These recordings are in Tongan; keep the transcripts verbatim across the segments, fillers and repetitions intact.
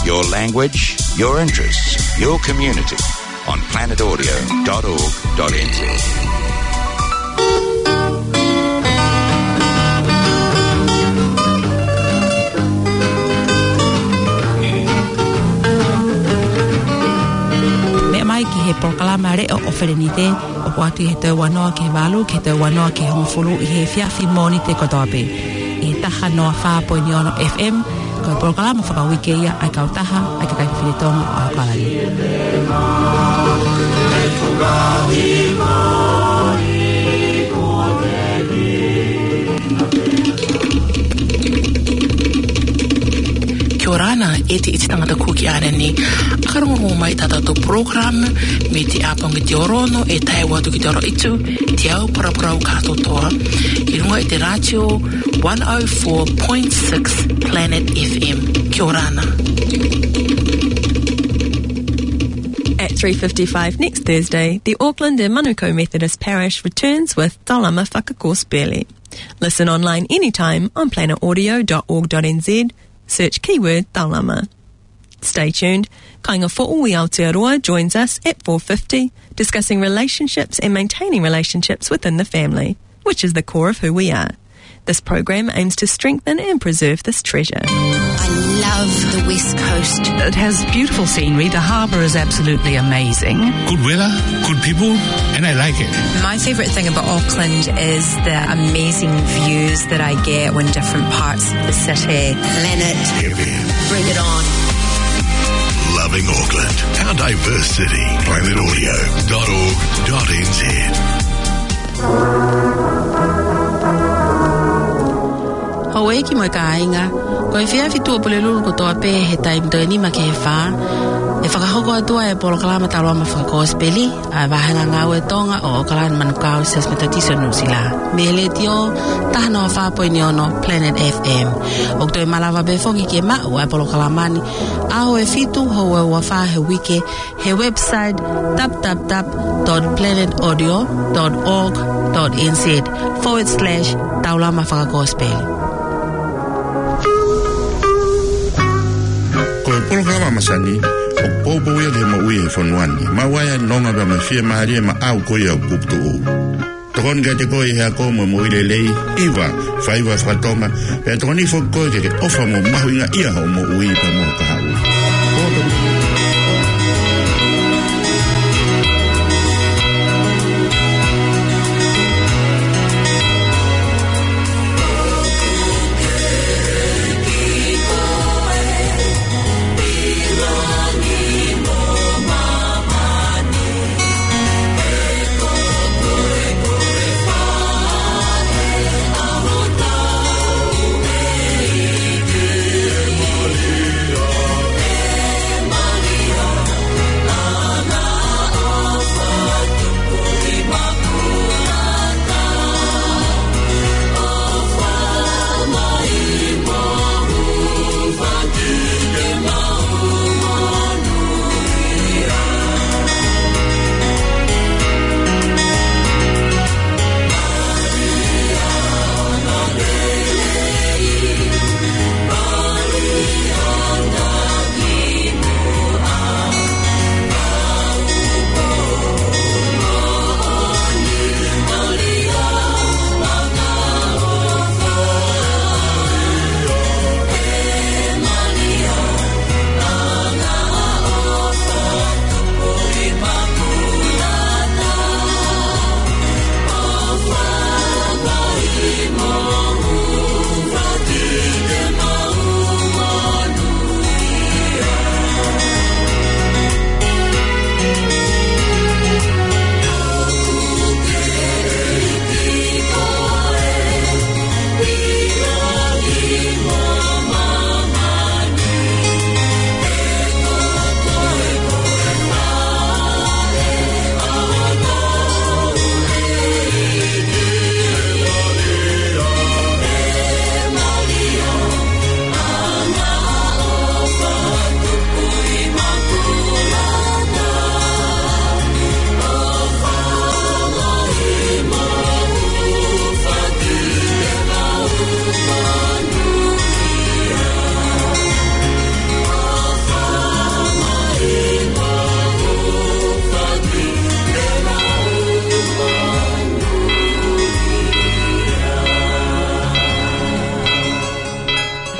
Your language, your interests, your community on planet audio dot org dot N Z. Meʻa mai ki he polokalama leʻo ʻo Felenite, ʻoku ʻoatu ʻi he toe ua noa ki he valu, ki he toe ua noa ki he hongofulu ʻi he efiafi Mōnite kotoa pē. ʻI he taha noa fā poini ono F M, ko e polokalama fakauike ia ʻa e kautaha ʻa e kakai fefine Tonga ʻo ʻAokalani. Kia ora na, ʻe te iti tangata Kuki ʻAnani. ʻAkarongo mai ʻetau polokalama mei he ʻapongipongi ʻo e ʻaho ni, ʻe tae atu ki he ʻaho ʻe tolu, te u paraparau kātoa ʻi he ngaahi ʻi he rātio one oh four point six Planet F M. Kia ora na. At three fifty-five next Thursday, the Auckland and Manukau Methodist Parish returns with Taulama Fakakosipeli. Listen online anytime on planet audio dot org dot N Z. Search keyword Taulama. Stay tuned. Kāinga Foʻui Aotearoa joins us at four fifty, discussing relationships and maintaining relationships within the family, which is the core of who we are. This program aims to strengthen and preserve this treasure. I love the West Coast. It has beautiful scenery. The harbour is absolutely amazing. Good weather, good people, and I like it. My favourite thing about Auckland is the amazing views that I get when different parts of the city. Planet F M. Bring it on. Loving Auckland, our diverse city. Planet Audio dot org dot N Z. Houʻeiki mo e kāinga, ko e efiafi Tuʻapulelulu kotoa pē he taimi toe nima ki he fā, ʻe fakahoko atu ai e polokalama Taulama Fakakosipeli ʻa e Vāhenga Ngāue Tonga ʻo ʻAokalani Manukau Siasi Metotisi ʻo Nuʻusila, mei he letiō taha noa fā poini ono Planet F M. ʻOku toe malava pē foki ke maʻu ʻa e polokalama ni ʻaho ʻe fitu, houa ʻe ua fā he uike, he website w w w dot planet audio dot org dot N Z forward slash Taulama Fakakosipeli. Ko e polokalama masani ʻoku poupou ia ki he moʻui he fonua ni. Maʻu ai ʻa e nonga pea mo e fiemālie maʻau ko ia ʻoku puputuʻu. Tokoni kiate koe ʻi he ako mo e moʻui lelei, hiva, faiva faka-Tonga, pea tokoni foki koe ke ke ʻofa mo mahuʻingaʻia hoʻo moʻui pea mo ho kahaʻu.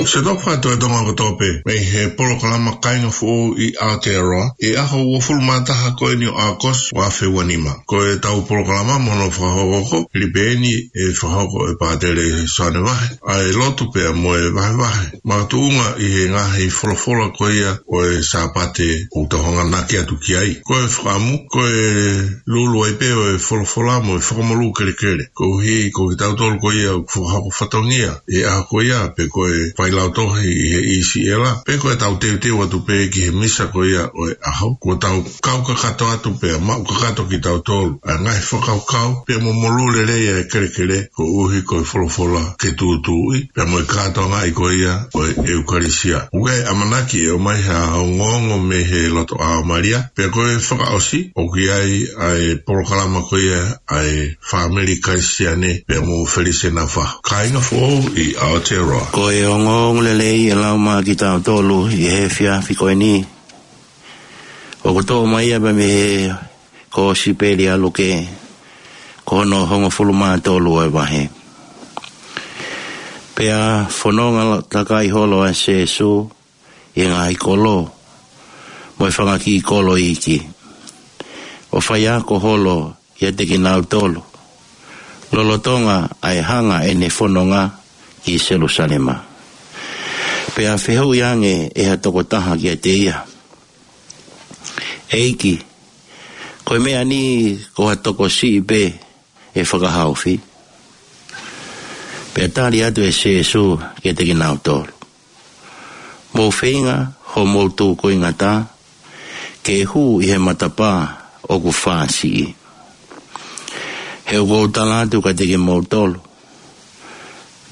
Siʻoto fatu e Tonga kotoa pē, mei he polokalama Kāinga Foʻou ʻi Aotearoa, ʻi he ʻaho uofulu mā taha ko eni ʻo ʻAokosi, ua afe ua nima. Ko ʻetau polokalama mo hono fakahoko, hili pē eni ʻe fakahoko ʻe Pātele Soane Vahe ʻa e lotu pea mo e vahevahe makatuʻunga ʻi he ngaahi folofola ko ia ʻo e Sāpate ʻoku tau hanganaki atu ki ai. Ko e fakaʻamu, ko e lulu ai pē ʻo e folofola mo e fakamolū kelekele. Koeʻuhi ko kitautolu ko ia ʻoku fakahoko fatongia ʻi he ʻaho ko ia, pe ko e failautohi ʻi he ʻIsiʻela, pe ko ʻetau teuteu atu pē ki he misa ko ia ʻo e ʻaho, kuo tau kau kakato atu pea maʻu kakato kitautolu ʻa e ngaahi fakakaukau pea mo e molū lelei ʻa e kelekele, koeʻuhi ko e folofola ke tūtuuʻi pea mo e kātoangaʻi ko ia ʻo e ʻEukalisia. ʻOku ʻi ai e ʻamanaki ʻe ʻomai ha ongoongo mei he loto ʻa Malia, pea ko e fakaʻosi ʻoku ʻi ai ʻa e polokalama ko ia ʻa e fāmili Kalisitiane pea mo Felise Nafa. Kāinga Foʻou ʻi Aotearoa. Ko e ongoongo lelei ʻe lau maʻa kitautolu ʻi he efiafi ko eni, ʻoku toʻo mai ia pē mei he Kōsipeli ʻa Luke, ko hono hongofulu mā tolu ʻo e vahe. Pea fononga la-, takai holo ʻa Sīsū ʻi he ngaahi kolo mo e fanga kiʻi kolo iiki, ʻo faiako holo ʻiate kinautolu, lolotonga ʻa e hanga ʻene fononga ki Selusalema. Pea fehuʻi ange ʻe ha tokotaha kiate ia, ʻEiki, ko e meʻa ni ko ha tokosiʻi pē ʻe fakahaofi? Pea tali atu ʻe Sīsū kiate kinautolu, Mou feinga hoʻomou tūkuingata ke hū ʻi he matapā ʻoku fāsiʻi. He ʻoku ou tala atu kiate kimoutolu,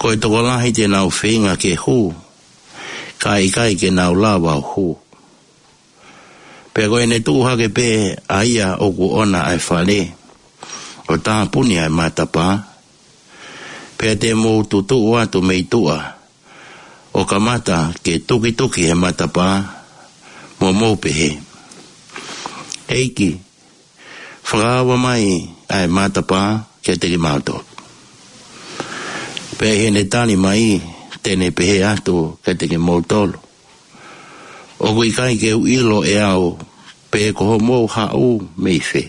ko e tokolahi te nau feinga ke hū, ka ʻikai ke nau lava ʻo hū. Pea ko ʻene tuʻu hake pē ʻa ia ʻoku ʻona ʻa e fale, ʻo tāpuni ʻa e matapā, pea te mou tutuʻu atu mei tuʻa, ʻo kamata ke tukituki he matapā, mo mou pehē, ʻEiki, fakaava mai ʻa e matapā kiate kimautolu. Pea ʻi heʻene tali mai, te ne pehē atu kiate kimoutolu, ʻOku ʻikai ke u ʻilo ʻe au pe ko hoʻomou haʻu mei fē.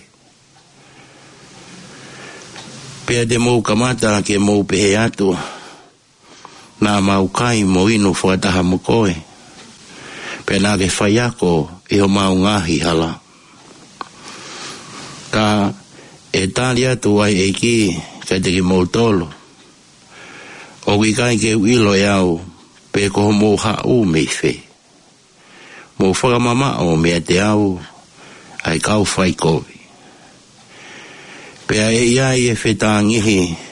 Pea te mou kamata ke mou pehē atu, Naʻa mau kai mo inu fakataha mo koe, pea naʻa ke faiako ʻi homau ngaahi hala. Ka ʻe tali atu ʻa e ʻEiki kiate kimoutolu, ʻOku ʻikai ke u ʻilo ʻe au pe ko hoʻomou haʻu mei fē. Mou fakamamaʻo meiate au, ʻa e kau faikovi. Pea ʻe ʻi ai e fetāngihi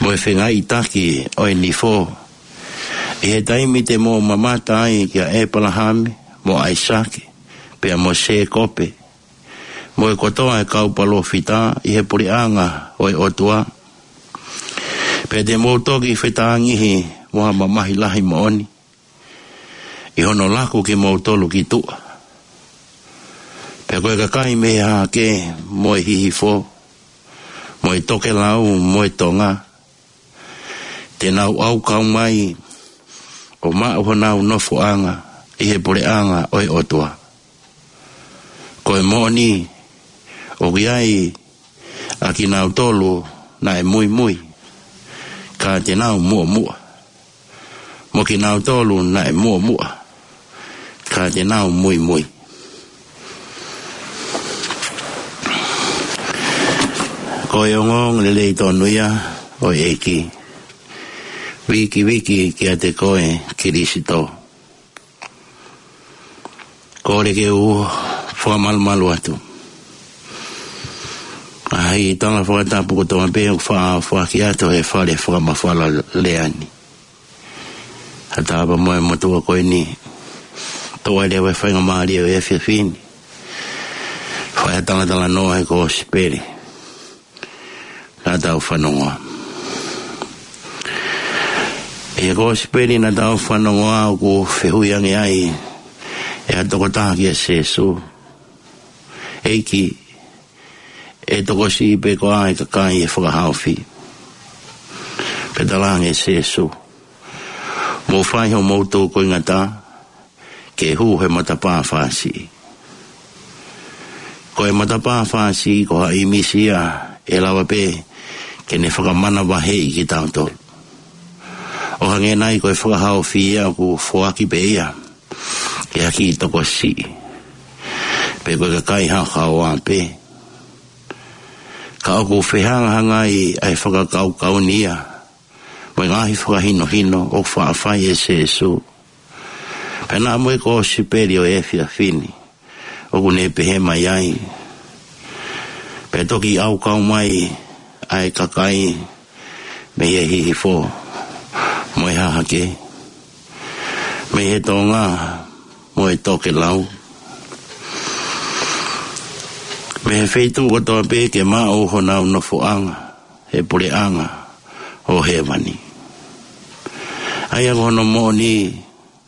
mo e fengaiʻitaki ʻo e nifo, ʻi he taimi te mou mamata ai kia ʻEpalahame, mo ʻAisake, pea mo Sēkope, mo e kotoa e kau palōfita ʻi he puleʻanga ʻo e ʻOtua. Pea te mou toki fetāngihi mo ha mamahi lahi moʻoni, ʻi hono laku kimoutolu ki tuʻa. Pea ko e kakai mei he hahake, mo e hihifo, mo e tokelau, mo e tonga, te nau ʻaukau mai ʻo maʻu honau nofoʻanga ʻi he puleʻanga ʻo e ʻOtua. Ko e moʻoni, ʻoku ʻi ai ʻa kinautolu naʻe muimui, ka te nau muʻomuʻa. Mo kinautolu naʻe muʻomuʻa, ka te nau muimui. Ko e ongoongo lelei tonu ia ʻo e ʻEiki. Vikiviki kiate koe Kilisito. Kole ke u fakamalumalu atu ʻa e tala fakatapu kotoa pē ʻoku faʻa foaki atu he fale fakamafola lea ni. Kae ʻatā pē mo e motuʻa ko eni, toʻo ai leva e faingamālie ʻo e efiafi ni, fai ha talatalanoa he kosipeli naʻa tau fanongoa. ʻI he kosipeli naʻa tau fanongoa ʻoku fehuʻi ange ai ʻe ha tokotaha kia Sīsū, ʻEiki, ʻe tokosiʻi pē koā e kakai ʻe fakahaofi? Pea talaange ʻe Sīsū, Mou fai hoʻomou tūkuingatā ke hū he matapā fāsiʻi. Ko e matapā fāsiʻi ko ha ʻīmisi ia ʻe lava pē ke ne fakamanavaheʻi kitautolu. ʻO hangē nai ko e fakahaofi ia ʻoku foaki pē ia ki ha kiʻi tokosiʻi, pe ko e kakai haohaoa pē. Ka ʻoku fehangahangai ʻa e fakakaukau ni ia mo e ngaahi fakahinohino ʻoku faʻa fai ʻe Sēsū. Pea naʻa mo e kōsipeli ʻo e efiafi ni ʻoku ne pehē mai ai: Pea toki ʻaukau mai ʻa e kakai mei he hihifo mo e hahake, mei he tonga mo e tokelau, mei he feituʻu kotoa pē ke maʻu honau nofoʻanga he puleʻanga ʻo hēvani. ʻA ia ko hono moʻoni,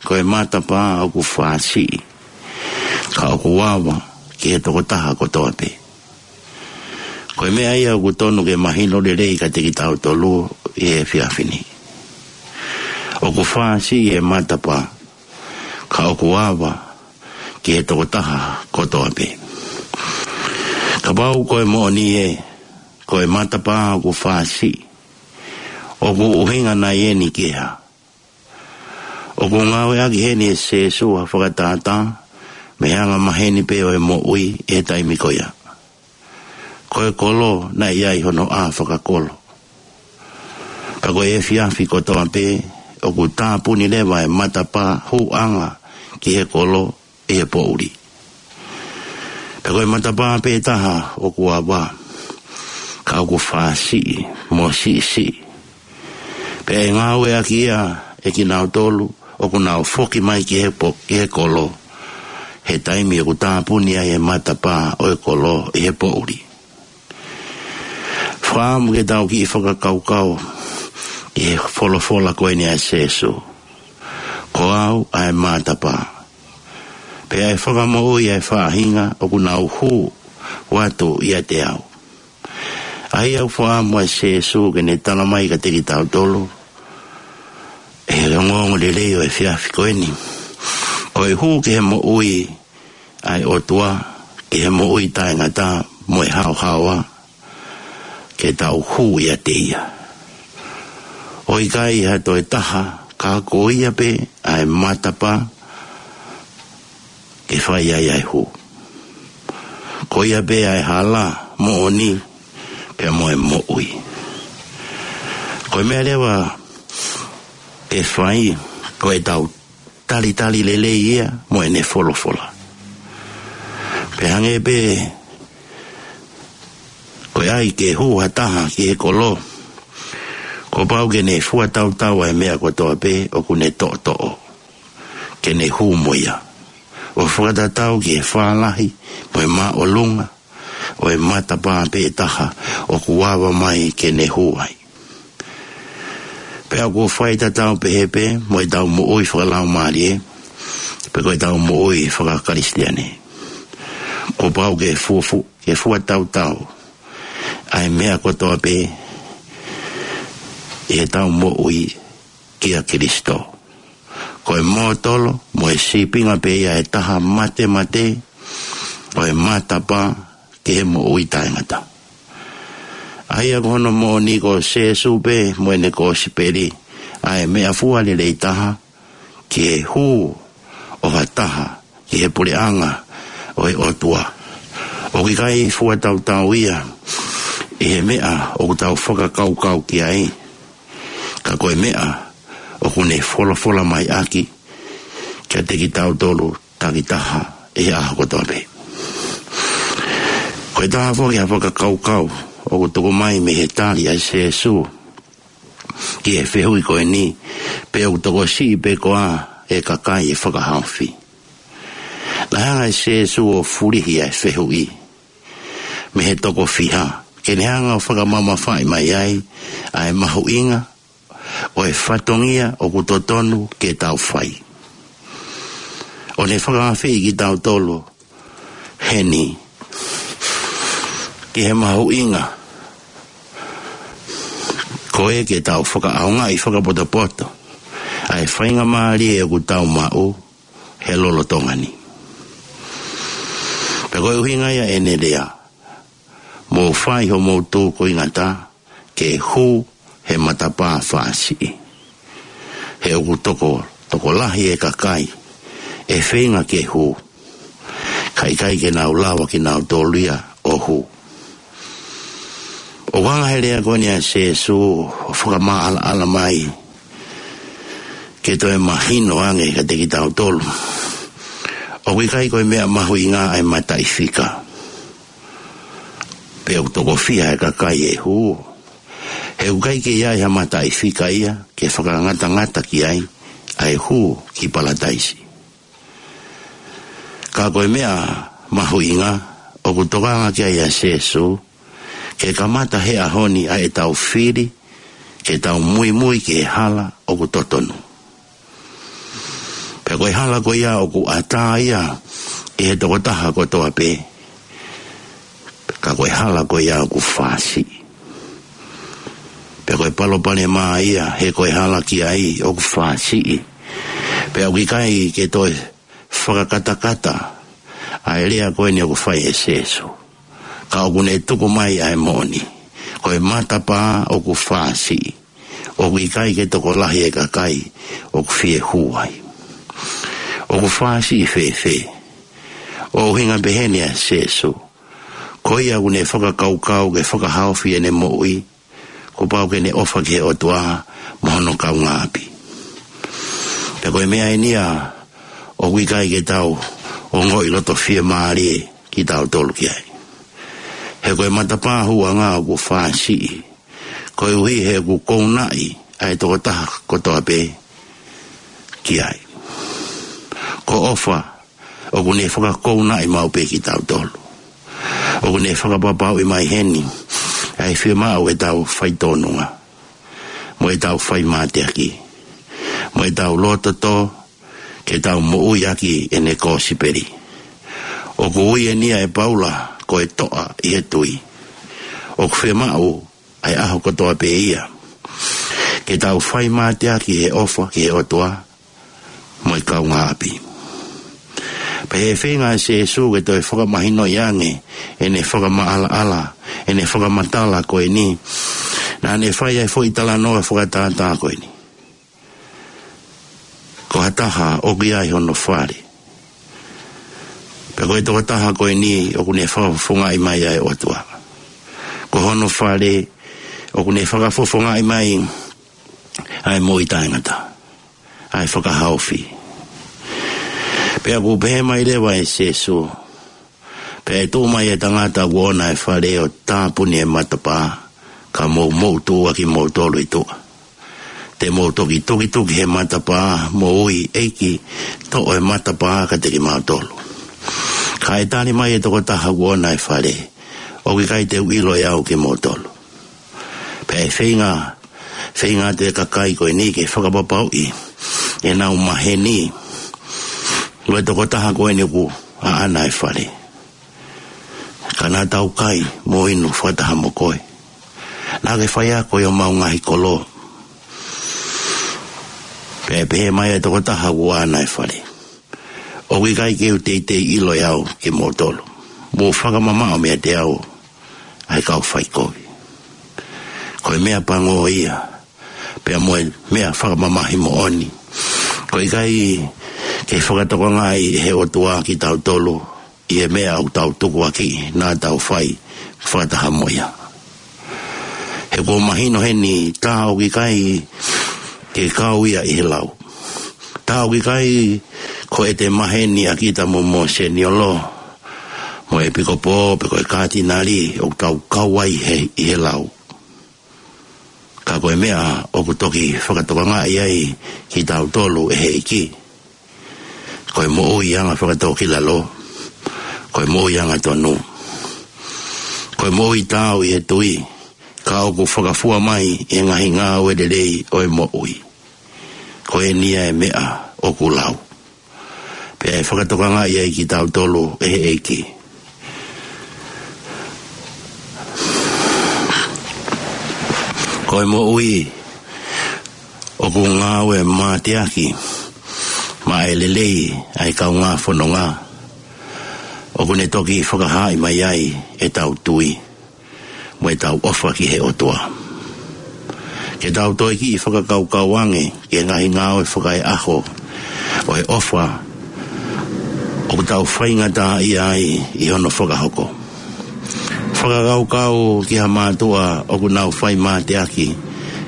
ko e matapā ʻoku fāsiʻi, ka ʻoku ava ki he tokotaha kotoa pē. Ko e meʻa ia ʻoku tonu ke mahino lelei kiate kitautolu ʻi he efiafi ni. ʻOku fāsiʻi e matapā, ka ʻoku ava ki he tokotaha kotoa pē. Kapau ko e moʻoni ē, ko e matapā ʻoku fāsiʻi, ʻoku ʻuhinga nai eni ki he hā? ʻOku ngāueʻaki heni ʻe Sēsū ha fakatātā mei he anga maheni pē ʻo e moʻui ʻi he taimi ko ia. Ko e kolo naʻe ʻi ai hono ʻā fakakolo. Pea ko e efiafi kotoa pē ʻoku tāpuni leva e matapā hūʻanga ki he kolo ʻi he poʻuli. Pea ko e matapā pē taha ʻoku ava, ka ʻoku fāsiʻi mo siʻisiʻi. Pea ʻe ngāueʻaki ia ʻe kinautolu ʻoku nau foki mai ki he po-, ki he kolo he taimi ʻoku tāpuni ai e matapā ʻo e kolo ʻi he poʻuli. Fakaʻamu ke tau kiʻi fakakaukau ki he folofola ko eni ʻa Sēsū: Ko au ʻa e matapā, pea ʻe fakamoʻui ʻa e faʻahinga ʻoku nau hū atu ʻiate au. ʻA ia ʻoku fakaʻamu ʻa Sēsū ke ne tala mai kiate kitautolu ʻi he ongoongolelei ʻo e efiafi ko eni, ko e hū ki he moʻui ʻa e ʻOtua, ki he moʻui taʻengata mo e haohaoa, ke tau hū ʻiate ia. ʻOku ʻikai ha toe taha, ka ko ia pē ʻa e matapā ke fai ai ʻa e hū. Ko ia pē ʻa e hala, moʻoni, pea mo e moʻui. Ko e meʻa leva ke fai, ko ʻetau talitali lelei ia mo ʻene folofola. Pea hangē pē ko e ʻai ke hū ha taha ki he kolo, kuo pau ke ne fuatautau ʻa e meʻa kotoa pē ʻoku ne toʻotoʻo ke ne hū mo ia, ʻo fakatatau ki he fālahi mo e māʻolunga ʻo e matapā pē taha ʻoku ava mai ke ne hū ai. Pea ʻoku faitatau pehē pē mo ʻetau moʻui fakalaumālie, pe ko ʻetau moʻui fakakalisitiane. Kuo pau ke fuafu-, ke fuatautau ʻa e meʻa kotoa pē ʻi heʻetau moʻui kia Kalaisi. Ko e mōtolo mo e sīpinga pē ia ʻe taha matemate ʻo e matapā ki he moʻui taʻengata. ʻA ia ko hono moʻoni ko Sēsū pē mo ʻene kosipeli ʻa e meʻafua lelei taha ki he hū ʻo ha taha ki he puleʻanga ʻo e ʻOtua. ʻOku ʻikai fuatautau ia ʻi he meʻa ʻoku tau fakakaukau ki ai, ka ko e meʻa ʻoku ne folofola mai ʻaki kiate kitautolu takitaha ʻi he ʻaho kotoa pē. Ko e taha foki ha fakakaukau ʻoku tuku mai mei he tali ʻa Sēsū ki he fehuʻi ko eni, pe ʻoku tokosiʻi pē koā e kakai ʻe fakahaofi. Naʻe hanga ʻe Sēsū ʻo fulihi ʻa e fehuʻi mei he toko fiha, ke ne hanga ʻo fakamamafaʻi mai ai ʻa e mahuʻinga ʻo e fatongia ʻoku totonu ke tau fai. ʻO ne fakaafeʻi kitautolu heni ki he mahuʻinga ko ē ke tau fakaʻaongaʻi fakapotopoto ʻa e faingamālie ʻoku tau maʻu he lolotonga ni. Pea ko e ʻuhinga ia ʻene lea, mou fai homou tūkuingata ke hū he matapā fāsiʻi. He ʻoku toko, tokolahi e kakai ʻe feinga ke hū, ka ʻikai ke nau lava kinautolu ia ʻo hū. ʻOku ʻuhinga he lea ko eni ʻa Sīsū ʻo fakamaʻalaʻala mai ke toe mahino ange kiate kitautolu ʻoku ʻikai ko e meʻa mahuʻinga ʻa e mataʻifika, pe ʻoku toko fiha e kakai ʻe hū. He ʻoku ʻikai ke ʻi ai ha mataʻifika ia ke fakangatangata ki ai ʻa e hū ki Palataisi. Ka ko e meʻa mahuʻinga ʻoku tokanga ki ai ʻa Sīsū, ke kamata he ʻaho ni ʻa ʻetau fili ke tau muimui ki he hala ʻoku totonu. Pea ko e hala ko ia ʻoku ʻatā ia ʻi he tokotaha kotoa pē, ka ko e hala ko ia ʻoku fāsiʻi. Pea ko e palopalema ia, he ko e hala ki ai ʻoku fāsiʻi. Pea ʻoku ʻikai ke toe fakakatakata ʻa e lea ko eni ʻoku fai ʻe Sīsū, ka ʻoku ne tuku mai ʻa e moʻoni. Ko e matapā ʻoku fāsiʻi, ʻoku ʻikai ke tokolahi e kakai ʻoku fie hū ai. ʻOku fāsiʻi fēfē? ʻOku ʻuhinga pehē ni ʻa Sīsū, ko ia ʻoku ne fakakaukau ke fakahaofi ʻene moʻui, kuo pau ke ne ʻofa ki he ʻOtua mo hono kaungāʻapi. Pea ko e meʻa eni ia ʻoku ʻikai ke tau ongoʻi loto fiemālie kitautolu ki ai. He ko e matapā hūʻanga ʻoku fāsiʻi, koeʻuhi he ʻoku kounaʻi ʻa e tokotaha kotoa pē ki ai. Ko ʻofa ʻoku ne fakakounaʻi maʻu pē kitautolu. ʻOku ne fakapapauʻi mai heni ʻa e fiemaʻu ʻetau faitōnunga, mo ʻetau faimateaki, mo ʻetau loto-tō ke tau moʻui ʻaki ʻene kosipeli. ʻOku ui eni ia ʻe Paula ko e toʻa ʻi he tui. ʻOku fiemaʻu ʻa e ʻaho kotoa pē ia ke tau faimateaki he ʻofa ki he ʻOtua mo e kaungāʻapi. Pea ʻi he feinga ʻa Sīsū ke toe fakamahinoʻi ange ʻene fakamaʻalaʻala, ʻene fakamatala ko eni, naʻa ne fai ʻa e foʻi talanoa fakatātā ko eni. Ko ha taha ʻoku ʻi ai hono fale. Pea ko e tokotaha ko eni ʻoku ne fakafofongaʻi mai ʻa e ʻOtua. Ko hono fale ʻoku ne fakafofongaʻi mai ʻa e moʻui taʻengata, ʻa e fakahaofi. Pea ʻoku pehē mai leva ʻe Sīsū, pea ʻe tuʻu mai e tangata ʻoku ʻoʻona e fale ʻo tāpuni e matapā, ka mou moʻutuʻu ʻa kimoutolu ʻi tuʻa. Te mou toki tukituki he matapā, mo ui, ʻEiki, toʻo e matapā kiate kimautolu. Ka ʻe tali mai e tokotaha ʻoku ʻoʻona e fale, ʻOku ʻikai te u ʻilo ʻe au kimoutolu. Pea ʻe feinga, feinga atu e kakai ko eni ke fakapapauʻi ʻenau maheni, ko e tokotaha ko eni ʻoku ʻaʻana e fale. Ka naʻa tau kai mo inu fakataha mo koe. Naʻa ke faiako ʻi homau ngaahi kolo. Pea ʻe pehē mai e tokotaha ʻoku ʻaʻana e fale, ʻOku ʻikai ke u teitei ʻilo ʻe au kimoutolu. Mou fakamamaʻo meiate au ʻa e kau faikovi. Ko e meʻa pango ia, pea mo e meʻa fakamamahi moʻoni. ʻOku ʻikai ke fakatokangaʻi ʻe he ʻOtua kitautolu ʻi he meʻa ʻoku tau tukuakiʻi naʻa tau fai fakataha mo ia. He kuo mahino heni tā ʻoku ʻikai ke kau ia ʻi he lau. Tā ʻoku ʻikai ko ʻete maheni ʻa kita mo Mōseniolo, mo e ʻepikopō, pe ko e kātinali, ʻoku tau kau ai he, ʻi he lau. Ka ko e meʻa ʻoku toki fakatokangaʻi ai kitautolu ʻe he ʻEiki, ko e moʻui anga fakatōkilalo, ko e moʻui angatonu, ko e moʻui taau ʻi he tui, ka ʻoku fakafua mai ʻi he ngaahi ngāue lelei ʻo e moʻui. Ko eni ia e meʻa ʻoku lau. Pea ʻe fakatokangaʻi ai kitautolu ʻe he ʻEiki. Ko e moʻui ʻoku ngāue mateaki maʻa e lelei ʻa e kaungā fononga, ʻoku ne toki fakahaaʻi mai ai ʻetau tui mo ʻetau ʻofa ki he ʻOtua. Ke tau toe kiʻi fakakaukau ange ki he ngaahi ngāue fakaeʻaho ʻo e ʻofa ʻoku tau faingataʻaʻia ai ʻi hono fakahoko. Fakakaukau ki ha mātuʻa ʻoku nau fai mateaki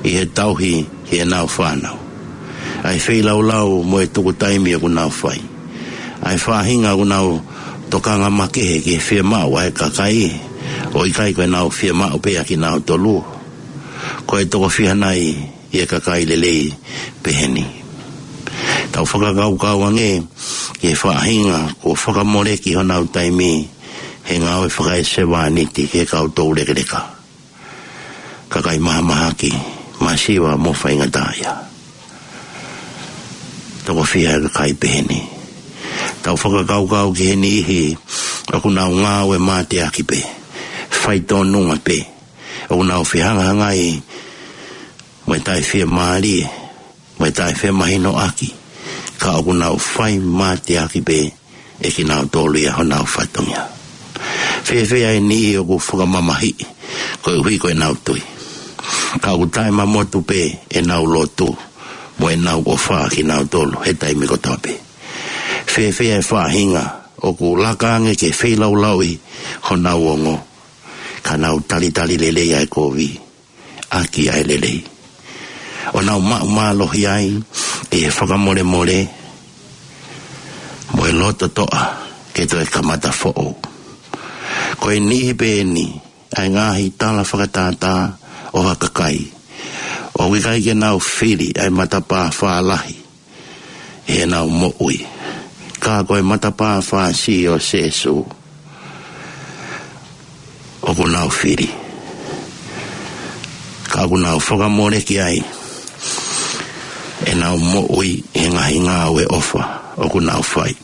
ʻi he tauhi ki heʻenau fānau, ʻa e feilaulau mo e tuku taimi ʻoku nau fai, ʻa e faʻahinga ʻoku nau tokanga makehe ki he fiemaʻu ʻa e kakai, ʻo ʻikai ko ʻenau fiemaʻu pē ʻa kinautolu. Ko e toko fiha nai ʻi he kakai lelei peheni? Tau fakakaukau ange ki he faʻahinga kuo fakamoleki honau taimi he ngāue fakaesevāniti ki he kau toulekeleka, kakai mahamahaki, masiva mo faingataʻaʻia. Toko fiha e kakai peheni? Tau fakakaukau ki he niʻihi ʻoku nau ngāue mateaki pē, faitōnunga pē, ʻoku nau fehangahangai mo e taʻefiemālie, mo e taʻefemahinoʻaki, ka ʻoku nau fai mateaki pē ʻe kinautolu ia honau fatongia. Fēfē ʻa e niʻihi ʻoku fakamamahiʻi koeʻuhi ko ʻenau tui, ka ʻoku taʻemamotu pē ʻenau lotu mo ʻenau ʻofa kinautolu he taimi kotoa pē? Fēfē ʻa e faʻahinga ʻoku laka ange ke feilaulauʻi honau ongo, ka nau talitali lelei ʻa e kovi ʻaki ʻa e lelei, ʻo nau maʻu mālohi ai ʻi he fakamolemole mo e loto toʻa ke toe kamata foʻou? Ko e niʻihi pē eni ʻa e ngaahi tala fakatātā ʻo ha kakai ʻoku ʻikai ke nau fili ʻa e matapā fālahi ʻi heʻenau moʻui, ka ko e matapā fāsiʻi ʻo Sēsū ʻoku nau fili, ka ʻoku nau fakamoleki ai ʻenau moʻui ʻi he ngaahi ngāue ʻofa ʻoku nau fai.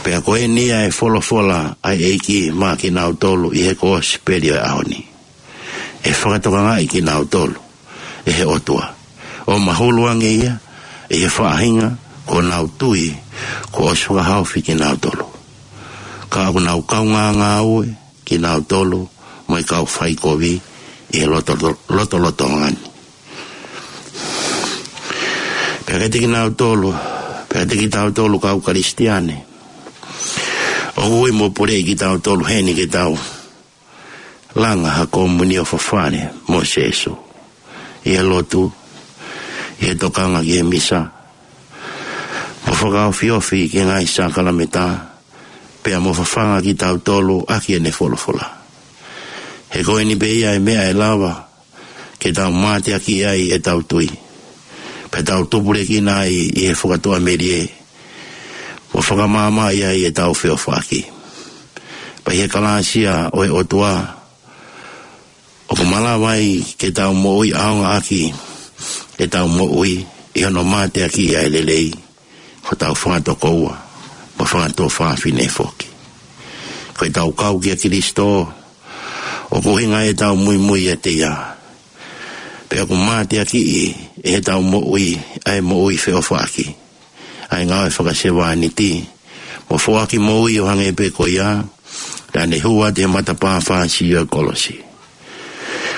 Pea ko eni ʻa e folofola ʻa e ʻEiki maʻa kinautolu ʻi he kosipeli ʻo e ʻaho ni. ʻE fakatokangaʻi kinautolu ʻe he ʻOtua ʻo mahulu ange ia ʻi he faʻahinga kuo nau tui kuo ʻosi fakahaofi kinautolu, ka ʻoku nau kaungā ngāue kinautolu mo e kau faikovi ʻi he loto, lotolotonga ni. Pea kiate kinautolu, pea kiate kitautolu kau Kalisitiane, ʻoku ui mo puleʻi kitautolu heni ke tau langa ha komunio fafane mo Sēsū ʻi he lotu, ʻi he tokanga ki he misa, mo fakaofiofi ki he ngaahi sākalamēniti, pea mo fafanga kitautolu ʻaki ʻene folofola. He ko eni pē ia e meʻa ʻe lava ke tau mateakiʻi ai ʻetau tui, pea tau tupulekina ai ʻi he fakatuʻamelie, mo fakamaʻamaʻa ai ʻetau feʻofaʻaki. Pea ʻi he kalāsia ʻo e ʻOtua, ʻoku malava ai ke tau moʻui ʻaonga ʻaki ʻetau moʻui ʻi hono mateakiʻi ʻa e lelei, hotau fanga tokoua mo fanga tuofāfine foki. Ko ʻetau kau kia Kalaisi, ʻoku ʻuhinga ʻetau muimui ʻiate ia. Pea ʻoku mateakiʻi ʻe heʻetau moʻui ʻa e moʻui feʻofaʻaki, ʻa e ngāue fakasevāniti, mo foaki moʻui ʻo hangē pē ko ia naʻa ne hū atu he matapā fāsiʻi ʻo e kolosi.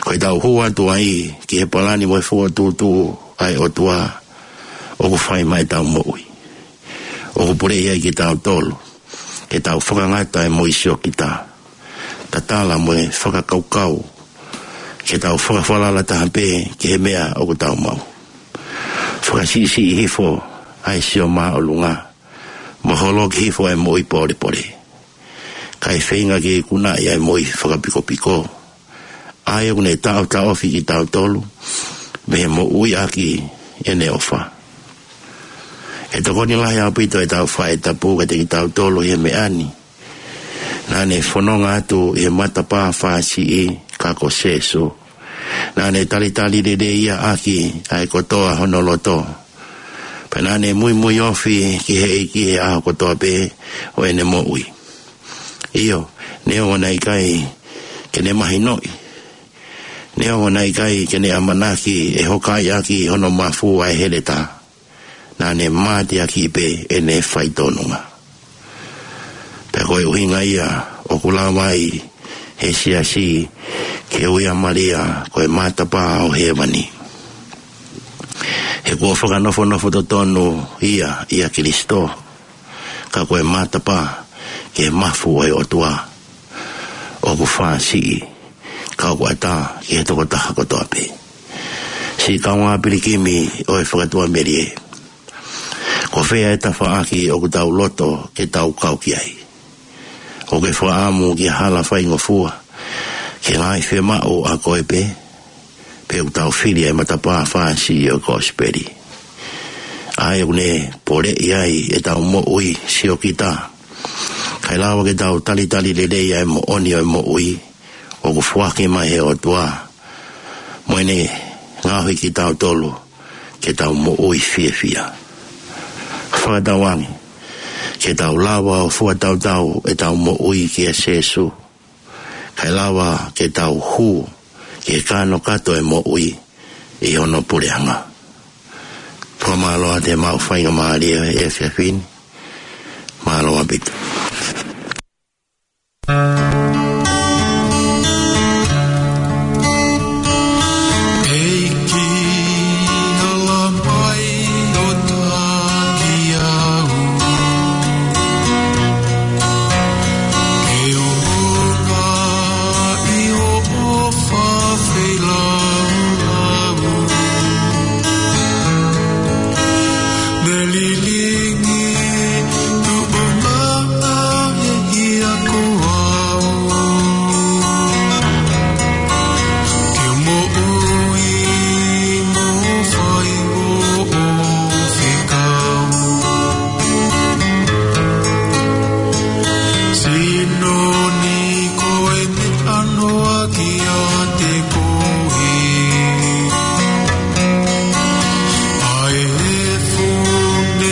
Ko ʻetau hū atu ai ki he palani mo e fokotuʻutuʻu ʻa e ʻOtua ʻoku fai maʻa ʻetau moʻui, ʻoku puleʻi ai kitautolu ke tau fakangata ʻa e moʻui siokita, tatala mo e fakakaukau, ke tau fakafalala taha pē ki he meʻa ʻoku tau maʻu, fakasiʻisiʻi hifo ʻa e sio māʻolunga, mo holoki hifo ʻa e moʻui pōlepole, kae feinga ke ikunaʻi ʻa e moʻui fakapikopiko, ʻa ia ʻoku ne taʻotaʻofi kitautolu mei he moʻui ʻaki ʻene ʻofa. ʻE tokoni lahi ʻaupito ʻetau faʻē tapu kiate kitautolu ʻi he meʻa ni. Naʻa ne fononga atu ʻi he matapā fāsiʻi, ka ko Sēsū. Naʻa ne talitali lelei ia ʻaki ʻa e kotoa hono loto. Pea naʻa ne muimui ofi ki he ʻEiki he ʻaho kotoa pē ʻo ʻene moʻui. ʻIo, neongo naʻe ʻikai ke ne mahinoʻi Neongo naʻe ʻikai ke ne ʻamanaki ʻe hokaʻi ʻaki hono mafu ʻa e heletā, naʻa ne mateakiʻi pē ʻene faitōnunga. Pea ko e ʻuhinga ia ʻoku lava ai ʻe he siasi ke ui ʻa Malia ko e matapā ʻo hēvani. He kuo fakanofonofo totonu ia ʻia Kilisitō, ka ko e matapā ki he mafu ʻo e ʻOtua, ʻoku fāsiʻi, ka ʻoku ʻatā ki he tokotaha kotoa pē. Siʻi kaungā pilikimi ʻo e fakatuʻamelie, ko fē ʻa e tafaʻaki ʻoku tau loto ke tau kau ki ai? ʻOku ke fakaʻamu ki ha hala faingofua ke ngaahi fiemaʻu ʻa koe pē, pe ʻoku tau fili ʻa e matapā fāsiʻi ʻo e kosipeli, ʻa ia ʻoku ne poleʻi ai ʻetau moʻui siokita, kae lava ke tau talitali lelei ʻa e moʻoni ʻo e moʻui ʻoku foaki mai ʻe he ʻOtua, mo ʻene ngaohi kitautolu ke tau moʻui fiefia? Fakatauange ke tau lava ʻo fuatautau ʻetau moʻui kia Sīsū, kae lava ke tau hū ki he kānokato ʻo e moʻui ʻi hono puleʻanga. Fakamālō atu ʻemau faingamālie ʻi he efiafi ni. Mālō ʻaupito. ʻEiki, hala mai ʻo taki au. Ke u hū ʻi hoʻo ʻofa feilaulau. Ne lilingi tuʻunga ʻa e hia ko au. Ke moʻui mo fai hoʻo fekau. Sino ni ko e meʻa noa kiate koe. ʻA e efu ne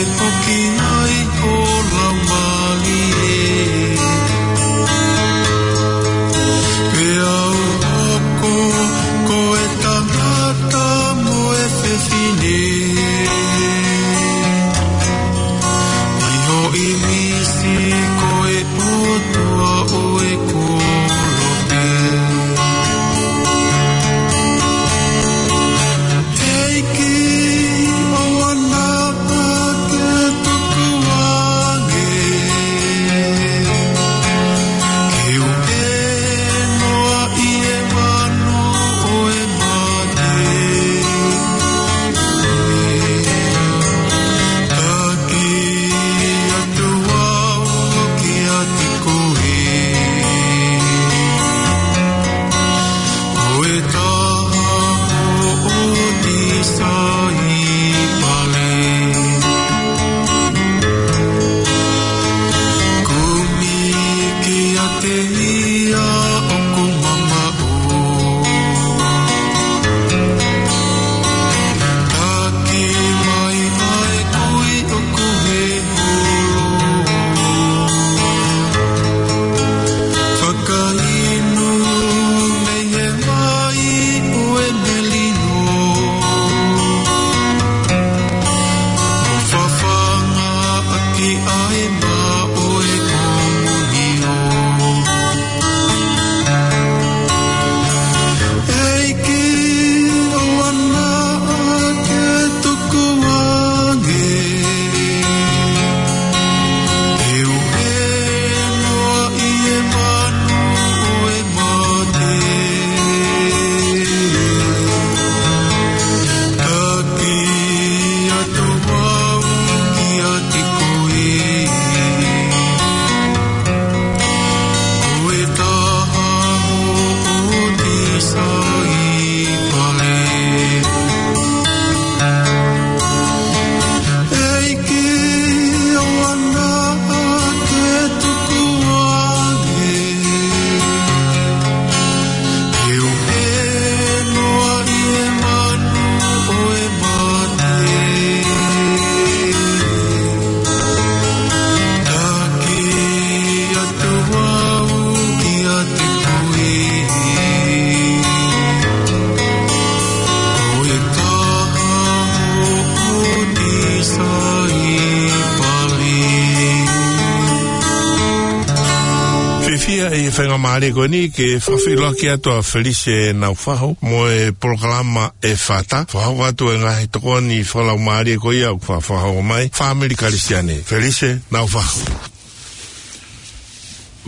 ʻI he faingamālie ko eni ke fakafeʻiloaki atu ʻa Felise Naufahu mo e polokalama ʻEfata. Fakahoko atu e ngaahi tokoni fakalaumālie ko ia ʻoku fa-, fakahoko mai, Fāmili Kalisitiane. Felise Naufahu.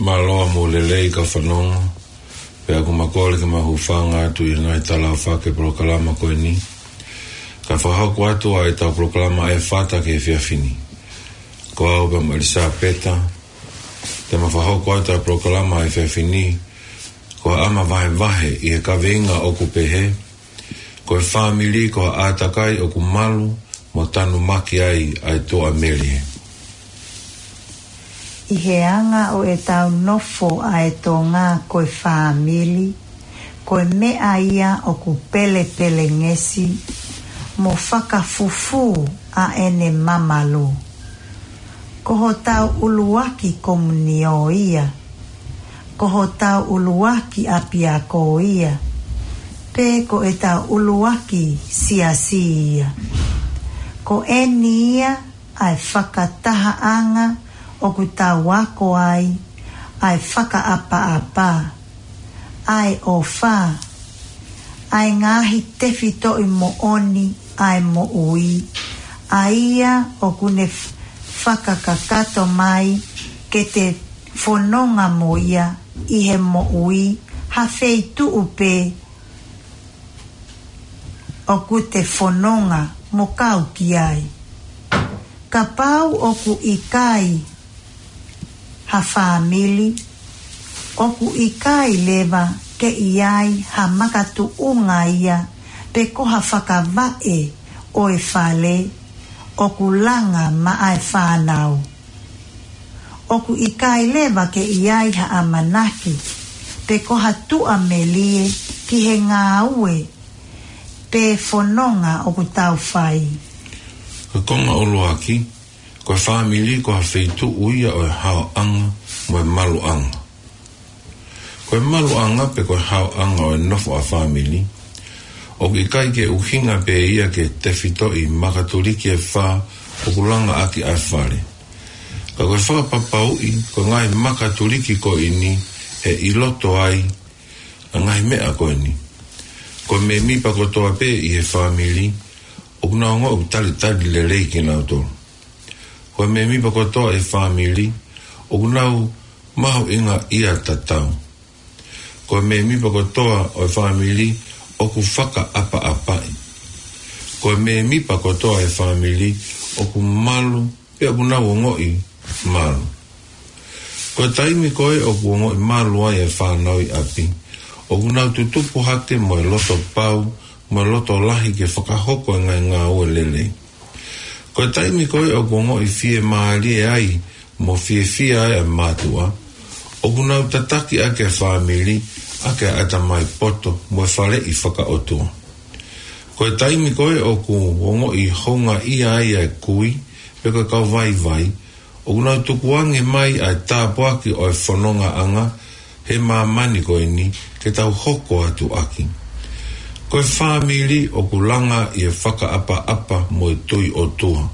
Mālō mo e lelei ka fanongo, pea ʻoku ma kole ke ma hūfanga atu ʻi he ngaahi tala ʻofa ki he polokalama ko eni. Ka fakahoko atu ʻa ʻetau polokalama ʻEfata ki he efiafi ni. Ko au pea mo ʻElisapeta, te ma fakahoko atu ʻa e polokalama he efiafi ni, ko e ʻama vahevahe ʻi he kaveinga ʻoku pehē, ko e fāmili ko ha ʻātakai ʻoku malu mo tanumaki ai ʻa e tuʻamelie. ʻI he anga ʻo ʻetau nofo ʻa e Tonga ko e fāmili, ko e meʻa ia ʻoku pelepelengesi mo fakafufū ʻa ʻene mamalu. Ko hotau ʻuluaki komunio ia. Ko hotau ʻuluaki ʻapiako ia. Pe ko ʻetau ʻuluaki siasi ia. Ko eni ia ʻa e fakatahaʻanga ʻoku tau ako ai ʻa e fakaʻapaʻapa, ʻa e ʻofa, ʻa e ngaahi tefitoʻi moʻoni ʻa e moʻui, ʻa ia ʻoku ne f-, fakakakato mai ke te fononga mo ia ʻi he moʻui ha feituʻu pē ʻoku te fononga mo kau ki ai. Kapau ʻoku ʻikai ha fāmili, ʻoku ʻikai leva ke ʻi ai ha makatuʻunga ia pe ko ha fakavaʻe ʻo e fale ʻoku langa maʻa e fānau. ʻOku ʻikai leva ke ʻi ai ha ʻamanaki pe ko ha tuʻamelie ki he ngāue pe fononga ʻoku tau fai. Ko e konga ʻuluaki, ko e fāmili ko ha feituʻu ia ʻo e haoʻanga mo e maluʻanga. Ko e maluʻanga pe ko e haoʻanga ʻo e nofo ʻa e fāmili, ʻoku ʻikai ke ʻuhinga pē ia ki he tefitoʻi makatuliki ʻe fā ʻoku langa ʻaki ʻa e fale. Ka ko e fakapapauʻi, ko e ngaahi makatuliki ko eni ʻe ʻi loto ai ʻa e ngaahi meʻa ko eni. Ko e mēmipa kotoa pē ʻi he fāmili, ʻoku nau ongoʻi ʻoku talitali lelei kinautolu. Ko e mēmipa kotoa ʻi he fāmili, ʻoku nau mahuʻingaʻia tatau. Ko e mēmipa kotoa ʻo e fāmili, ʻoku fakaʻapaʻapaʻi. Ko e mēmipa kotoa ʻi he fāmili, ʻoku malu, pea ʻoku nau ongoʻi malu. Ko e taimi ko ē ʻoku ongoʻi malu ai e fānau ʻi ʻapi, ʻoku nau tutupu hake mo e loto pau, mo e loto lahi ke fakahoko e ngaahi ngāue lelei. Ko e taimi ko ē ʻoku ongoʻi fiemālie ai mo fiefia ai ʻa e mātuʻa, ʻoku nau tataki ʻaki e fāmili ʻaki ʻa e ʻatamai poto mo e faleʻi fakaʻotua. Ko e taimi ko ē ʻoku ongoʻi houngaʻia ai e kui pe ko e kau vaivai, ʻoku nau tukuange mai ʻa e tāpuaki ʻo e fonongaʻanga he māmani ko eni ke tau hoko atu ʻaki. Ko e fāmili ʻoku langa ʻi he fakaʻapaʻapa mo e tui ʻOtua.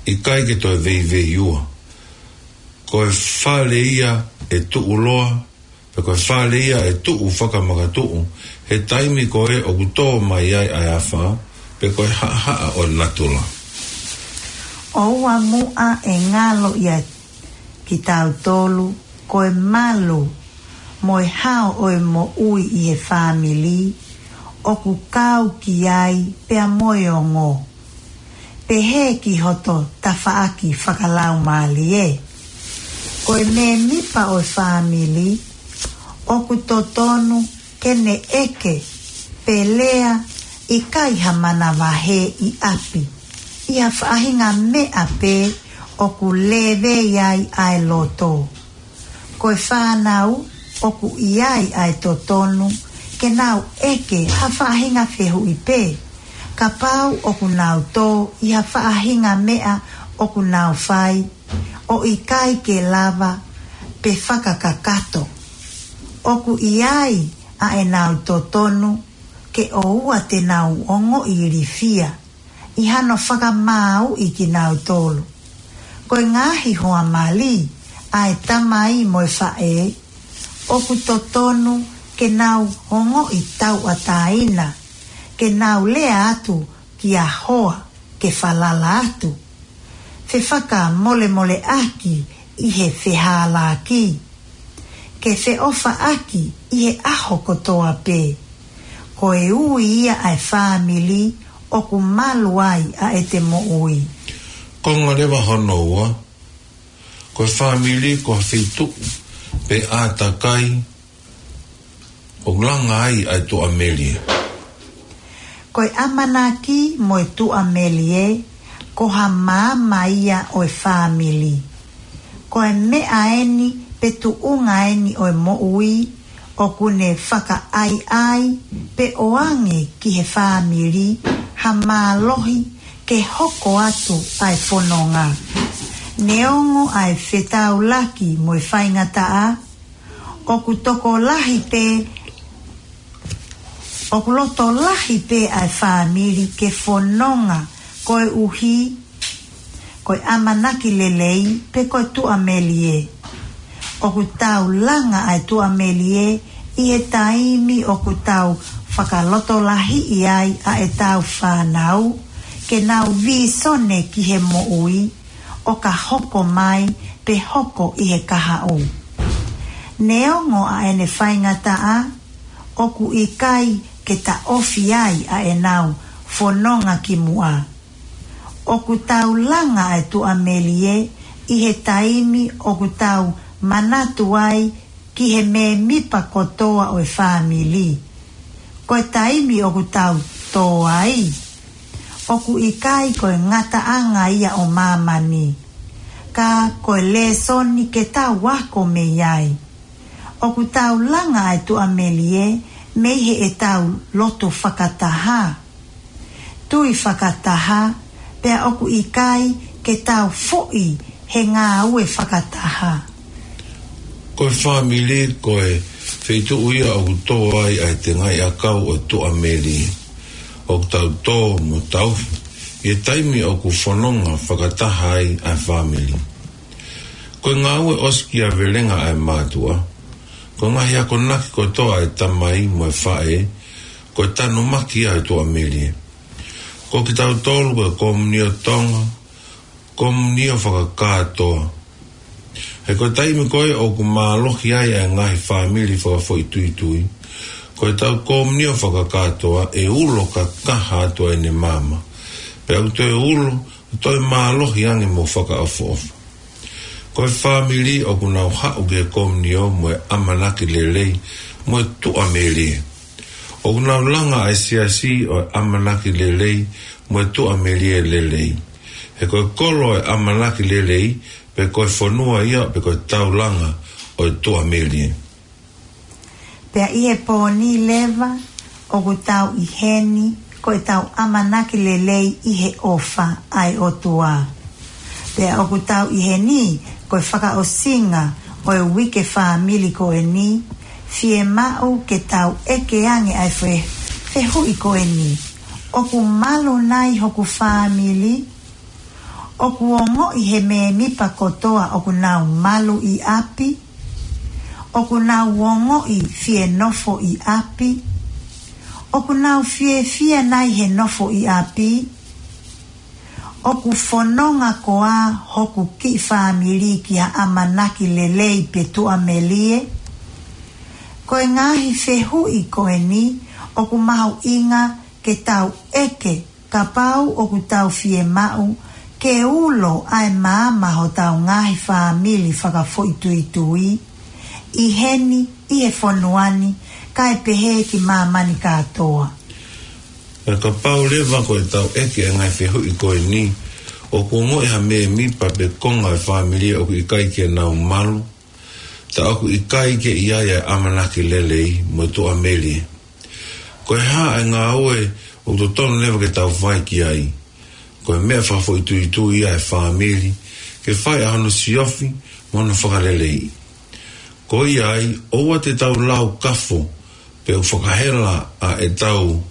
ʻIkai ke toe veiveiua. Ko e fale ia ʻe tuʻuloa, pe ko e fale ia ʻe tuʻu fakamakatuʻu, he taimi ko ē ʻoku tō mai ai ʻa e afā, pe ko e haʻahaʻa ʻo e natula. ʻOua muʻa ʻe ngalo ia kitautolu, ko e malu mo e hao ʻo e moʻui ʻi he fāmili, ʻoku kau ki ai pea mo e ongo. Pehē ki hoto tafaʻaki fakalaumālie. Ko e mēmipa ʻo e fāmili, ʻoku totonu ke ne ʻeke, pe lea ʻikai ha manavahē ʻi ʻapi, ʻi ha faʻahinga meʻa pē ʻoku lēvei ai ʻa e loto. Ko e fānau ʻoku ʻi ai ʻa e totonu ke nau ʻeke ha faʻahinga fehuʻi pē, kapau ʻoku nau tō ʻi ha faʻahinga meʻa ʻoku nau fai ʻo ʻikai ke lava pe fakakakato. ʻOku ʻi ai ʻa ʻenau totonu ke ʻoua te nau ongoʻi ilifia ʻi hano fakamāuʻi kinautolu. Ko e ngaahi hoa mali ʻa e tamai mo e faʻē, ʻoku totonu ke nau ongoʻi tauʻatāina, ke nau lea atu kia hoa ke falala atu, fefakamolemoleʻaki ʻi he fehālaaki, ke feʻofaʻaki ʻi he ʻaho kotoa pē. Ko e ui ia ʻa e fāmili ʻoku malu ai ʻa ʻete moʻui. Konga leva hono ua, ko e fāmili ko ha feituʻu pe ʻātakai ʻoku langa ai ʻa e tuʻamelie. Ko e ʻamanaki mo e tuʻamelie, ko ha maama ia ʻo e fāmili. Ko e meʻa eni pe tuʻunga eni ʻo e moʻui, ʻoku ne fakaʻaiʻai pe ʻoange ki he fāmili ha mālohi ke hoko atu ʻa e fononga. Neongo ʻa e fetaulaki mo e faingataʻa, ʻoku tokolahi pē, ʻoku loto lahi pē ʻa e fāmili ke fononga koeʻuhi ko e ʻamanaki lelei pe ko e tuʻamelie. ʻOku tau langa ʻa e tuʻamelie ʻi he taimi ʻoku tau fakalotolahiʻi ai ʻa ʻetau fānau ke nau vīsone ki he moʻui ʻo ka hoko mai pe hoko ʻi he kahaʻu. Neongo ʻa ʻene faingataʻa, ʻoku ʻikai ke taʻofi ai ʻa ʻenau fononga ki muʻa. ʻOku tau langa ʻa e tuʻamelie ʻi he taimi ʻoku tau manatu ai ki he mēmipa kotoa ʻo e fāmili. Ko e taimi ʻoku tau tō ai, ʻoku ʻikai ko e ngataʻanga ia ʻo māmani, ka ko e lēsoni ke tau ako mei ai. ʻOku tau langa ʻa e tuʻamelie mei heʻetau lotu fakataha, tui fakataha, pea ʻoku ʻikai ke tau foʻi he ngāue fakataha. Ko e fāmili ko e feituʻu ia ʻoku tō ai ʻa e tengaʻi ʻakau ʻo e tuʻamelie. ʻOku tau tō mo tau ʻi he taimi ʻoku fononga fakataha ai ʻa e fāmili. Ko e ngāue ʻosikiavelenga ʻa e mātuʻa, ko e ngaahi akonaki kotoa ʻa e tamai mo e faʻē, ko e tanumaki ʻa e tuʻamelie. Ko kitautolu ko e Komunio Tonga, Komunio Fakakātoa. He ko e taimi ko ē ʻoku mālohi ai ʻa e ngaahi fāmili fakafoʻituitui, ko ʻetau Komunio Fakakātoa ʻe ulo kakaha atu ʻa ʻene maama. Pea ʻoku toe ulo, toe mālohi ange mo fakaʻofoʻofa. Ko e fāmili ʻoku nau haʻu ki he Komunio mo e ʻamanaki lelei mo e tuʻamelie. ʻOku nau langa ʻa e siasi ʻo e ʻamanaki lelei mo e tuʻamelie lelei. He ko e kolo ʻo e ʻamanaki lelei, pe ko e fonua ia, pe ko e taulanga ʻo e tuʻamelie. Pea ʻi he pō ni leva, ʻoku tau ʻi heni, ko ʻetau ʻamanaki lelei ʻi he ʻofa ʻa e ʻOtua. Pea ʻoku tau ʻi heni, ko e fakaʻosinga ʻo e uike fāmili ko eni, fiemaʻu ke tau ʻeke ange ʻa e fe-, fehuʻi ko eni. ʻOku malu nai hoku fāmili? ʻOku ongoʻi he mēmipa kotoa ʻoku nau malu ʻi ʻapi? ʻOku nau ongoʻi fie nofo ʻi ʻapi? ʻOku nau fiefia nai he nofo ʻi ʻapi? ʻOku fononga koā hoku kiʻi fāmili ki ha ʻamanaki lelei pe tuʻamelie? Ko e ngaahi fehuʻi ko eni ʻoku mahuʻinga ke tau ʻeke kapau ʻoku tau fiemaʻu ke ulo ʻa e maama hotau ngaahi fāmili fakafoʻituitui, ʻi heni, ʻi he fonua ni, kae pehē ki māmani kātoa. Pea kapau leva ko ʻetau ʻeke ʻa e ngaahi fehuʻi ko eni, ʻoku ongoʻi ha mēmipa pe konga ʻo e fāmili ʻoku ʻikai ke nau malu, tā ʻoku ʻikai ke ʻi ai ʻa e ʻamanaki lelei mo e tuʻamelie. Ko e hā ʻa e ngāue ʻoku totonu leva ke tau fai ki ai? Ko e meʻa fakafoʻituitui ia ʻa e fāmili ke fai ʻa hono siofi mo hono fakaleleiʻi. Ko ia ai, ʻoua te tau lau kafo pe ʻoku fakahela ʻa ʻetau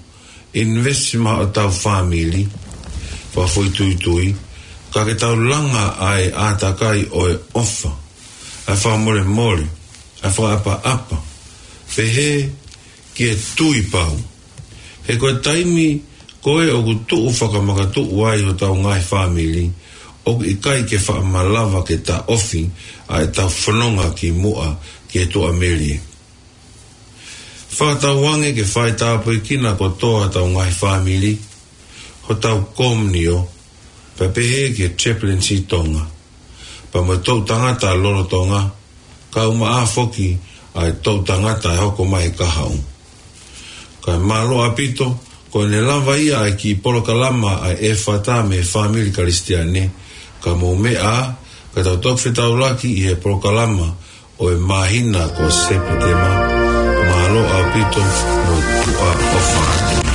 investment ʻo ʻetau fāmili fakafoʻituitui, ka ke tau langa ʻa e ʻātakai ʻo e ʻofa, ʻa e fakamolemole, ʻa e fakaʻapaʻapa, pehē ki he tui pau. He ko e taimi ko ē ʻoku tuʻu fakamakatuʻu ai hotau ngaahi fāmili, ʻoku ʻikai ke faʻa malava ke taʻofi ʻa ʻetau fononga ki muʻa ki he tuʻamelie. Fakatauange ke fai tāpuekina kotoa hotau ngaahi fāmili, hotau komiunio, pea pehē ki he Chaplaincy Tonga, pea mo e toʻutangata lolotonga, kaeʻumaʻā foki ʻa e toʻutangata ʻe hoko mai he kahaʻu. Kae mālō ʻaupito, ko ʻene lava ia ʻa e kiʻi polokalama ʻa e ʻEfata mei he Fāmili Kalisitiane, ka mou meʻa, ka tau toki fetaulaki ʻi he polokalama ʻo e māhina ko Sepitema. Mālō ʻaupito mo e tuʻa ʻofa atu.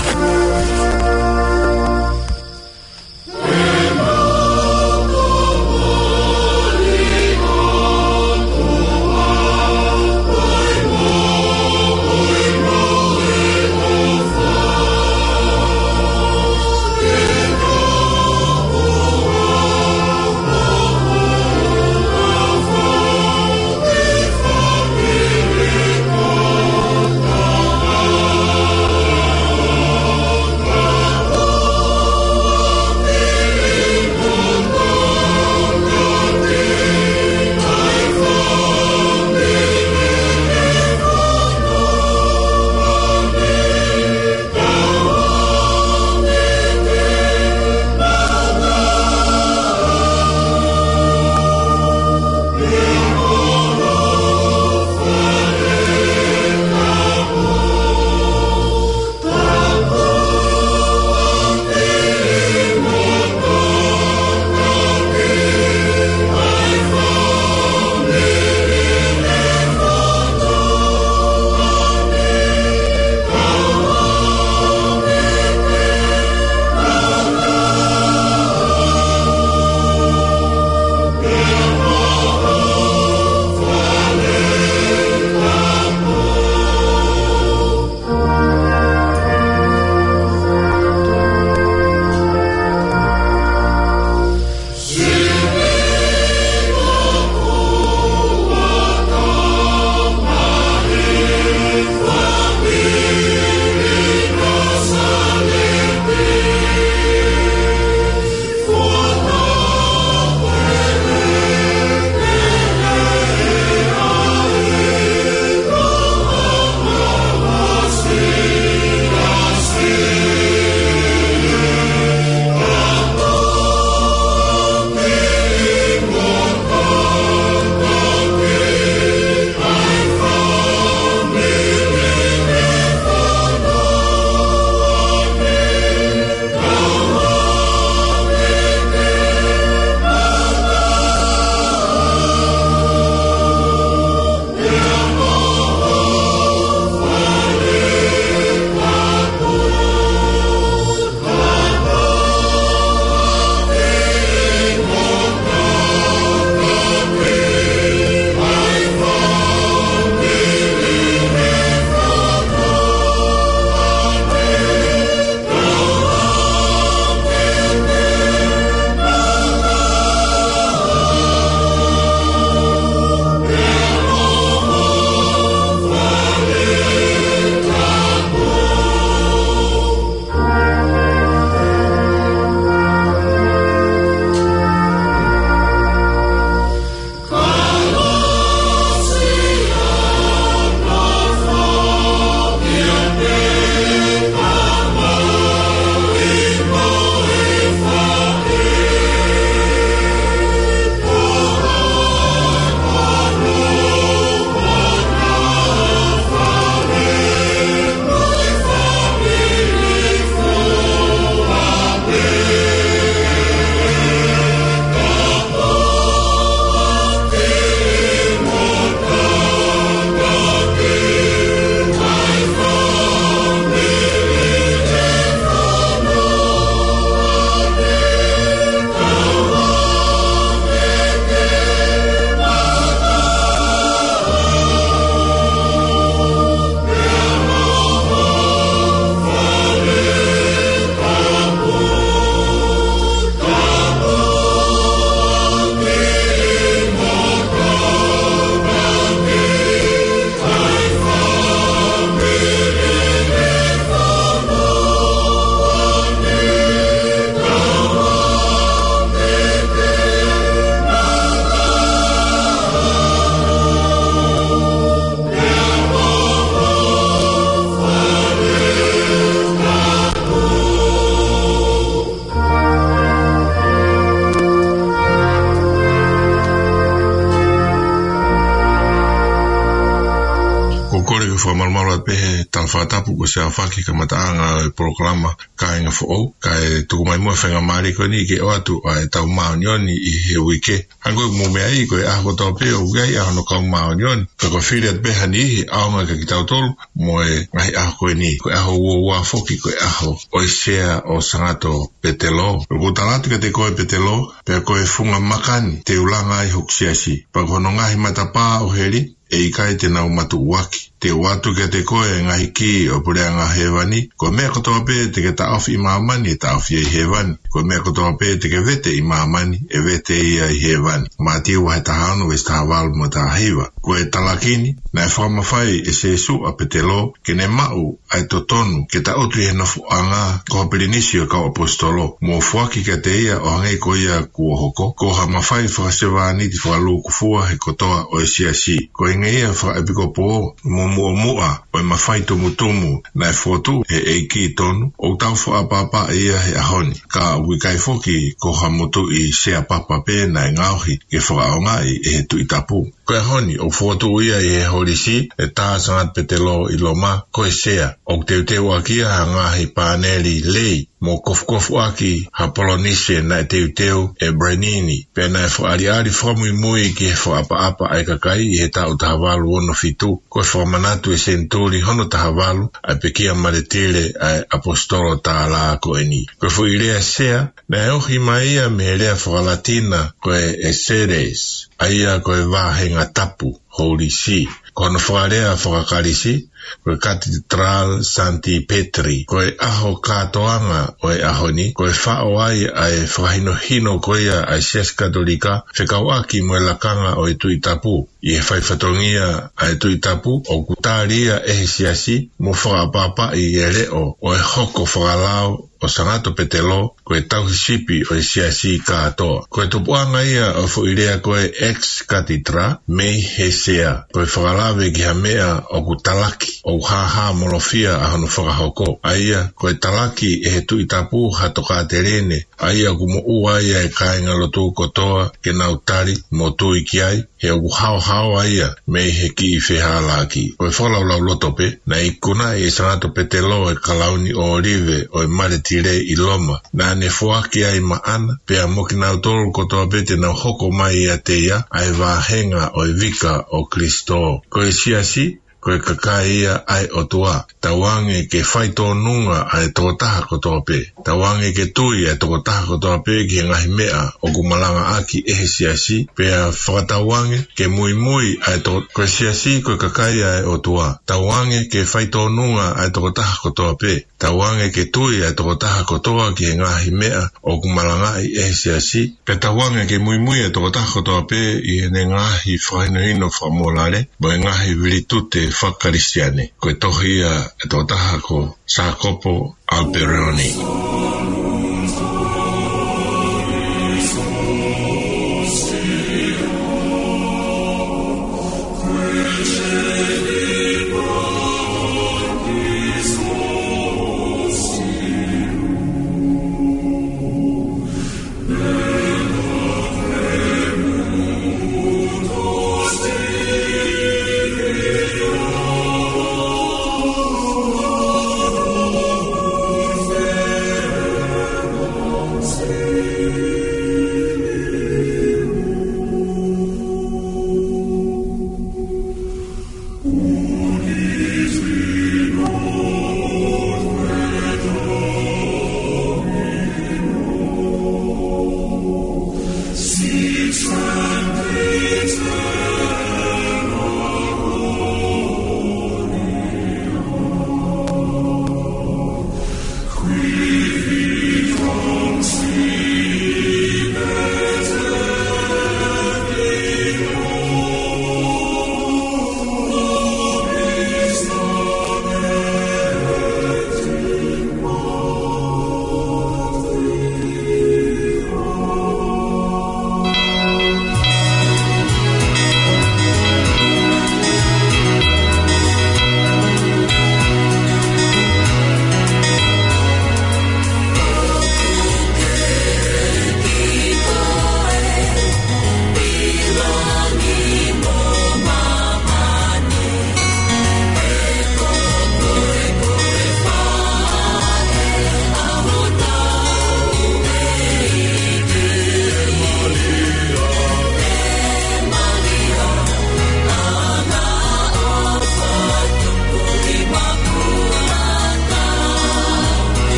Fakamalumalu atu pē he tala fakatapu kuo ʻosi aofaki he kamataʻanga ʻo e polokalama Kāinga Foʻou, kae tuku mai muʻa e faingamālie ko eni ke ʻoatu ʻa ʻetau māʻoniʻoni ʻi he uike. Hangē ko e mou meaʻi, ko e ʻaho kotoa pē ʻoku ʻi ai ʻa hono kau māʻoniʻoni, ka ko e fili atu pē ha niʻihi ʻaonga kia kitautolu mo e ngaahi ʻaho ko eni. Ko e ʻaho uaua foki ko e ʻaho ʻo e sea ʻo Sangato Petelo. ʻOku ou tala atu kiate koe Petelo, pea ko e funga maka ni te u langa ai hoku siasi, pea ko hono ngaahi matapā ʻo heli ʻe ʻikai te nau matuʻuaki. Te u ʻoatu kiate koe e ngaahi kī ʻo e puleʻanga hēvani. Ko e meʻa kotoa pē te ke taʻofi ʻi māmani ʻe taʻofi ia ʻi hēvani. Ko e meʻa kotoa pē te ke vete ʻi māmani ʻe vete ia ʻi hēvani. Mātiu vahe taha ono veesi taha valu mo e taha hiva. Ko e talaki ni, naʻe fakamafai ʻe Sīsū ʻa Petelo ke ne maʻu ʻa e totonu ke taʻutu ʻi he nofoʻanga ko ha pilinisi ʻo e kau ʻaposetolo, mo foaki kiate ia ʻo hangē ko ia kuo hoko, ko ha mafai fakasevāniti fakalūkufua he kotoa ʻo e siasi. Ko e ingeʻi ia fakaʻepikopō mo muʻomuʻa ʻo e mafai tumutumu naʻe fokotuʻu ʻe he ʻEiki tonu, ʻoku tau fakaʻapaʻapaʻi ia he ʻaho ni. Ka ʻoku ʻikai foki ko ha motuʻi sea papa pē naʻe ngaohi ke fakaʻaongaʻi ʻe he Tuʻi Tapu. Ko e ʻaho ni ʻoku fokotuʻu ia ʻi he holisi ʻe tā Sangato Petelo ʻi Loma, ko e sea. ʻOku teuteuʻaki ia ha ngaahi pāneli lei mo kofukofuʻaki ha Polinisia naʻe teuteu ʻe Bernini, pea naʻe fakaʻaliʻali fakamuimui ki he fakaʻapaʻapa ʻa e kakai ʻi he taʻu taha valu ono fitu. Ko e fakamanatu ʻe he senituli hono taha valu ʻa e pekia maletile ʻa e ʻaposetolo tālā ko eni. Ko e foʻi lea sea, naʻe ohi mai ia mei he lea fakalatina ko e Exeres, ʻa ia ko e vāhenga tapu, Holy See. Ko hono fakalea fakaKalisi, ko e Cathedral Sancti Petri. Ko e ʻaho kātoanga ʻo e ʻaho ni, ko e faʻo ai ʻa e fakahinohino ko ia ʻa e Siasi Katolika fekauʻaki mo e lakanga ʻo e Tuʻi Tapu. ʻI he faifatongia ʻa e Tuʻi Tapu, ʻoku tali ia ʻe he siasi mo fakaʻapaʻapaʻi e leʻo ʻo e hoko fakalao ʻo Sangato Petelo ko e tauhi sipi ʻo e siasi kātoa. Ko e tupuʻanga ia ʻo e foʻi lea ko e ex cathedra mei he sea, ko e fakalave ki ha meʻa ʻoku talaki, ʻoku hāhāmolofia ʻa hono fakahoko, ʻa ia ko e talaki ʻe he Tuʻi Tapu ha tokāteline, ʻa ia ʻoku moʻua ai e kāingalotu kotoa ke nau tali mo tui ki ai, he ʻoku haohaoa ia mei he kiʻi fehālaaki. Ko e fakalaulauloto pē, naʻe ikunaʻi ʻe Sangato Petelo e kalauni ʻōlive ʻo e maletile ʻi Loma, naʻa ne foaki ai maʻana, pea mo kinautolu kotoa pē te nau hoko mai ʻiate ia, ʻa e vāhenga ʻo e vika ʻo Kilisitō. Ko e siasi, ko e kakai ia ʻa e ʻOtua. Tauange ke faitōnunga ʻa e tokotaha kotoa pē. Tauange ke tui ʻa e tokotaha kotoa pē ki he ngaahi meʻa ʻoku malangaʻaki ʻe he siasi, pea fakatauange ke muimui ʻa e to-, ko e siasi ko e kakai ʻa e ʻOtua. Tauange ke faitōnunga ʻa e tokotaha kotoa pē. Tauange ke tui ʻa e tokotaha kotoa ki he ngaahi meʻa ʻoku malangaʻi ʻe he siasi, pea tauange ke muimui ʻa e tokotaha kotoa pē ʻi heʻene ngaahi fakahinohino fakamōlale mo e ngaahi vilitute fakaKalisiane. Ko e tohi ia ʻa e tokotaha ko Sākopo Aliperioni.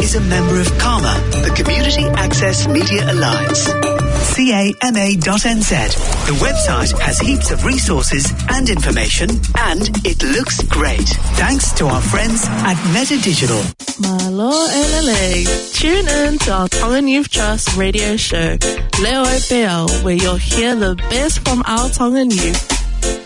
is a member of CAMA, the Community Access Media Alliance. C A M A dot N Z. The website has heaps of resources and information, and it looks great. Thanks to our friends at Meta Digital. Mālō e lelei. Tune in to our Tongan Youth Trust radio show, Leo e Peau, where you'll hear the best from our Tongan youth.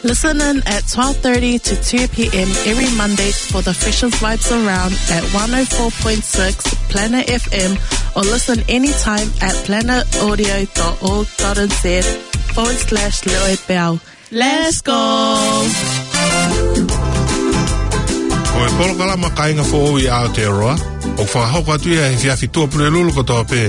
Listen in at twelve thirty to two p.m. every Monday for the freshest vibes around at one oh four point six Planet F M, or listen anytime at planet audio dot org dot N Z forward slash Leo e Peau. Let's go! Ko e polokalama Kāinga Foʻou ʻi Aotearoa, ʻoku fakahoko atu ia he efiafi Tuʻapulelulu kotoa pē,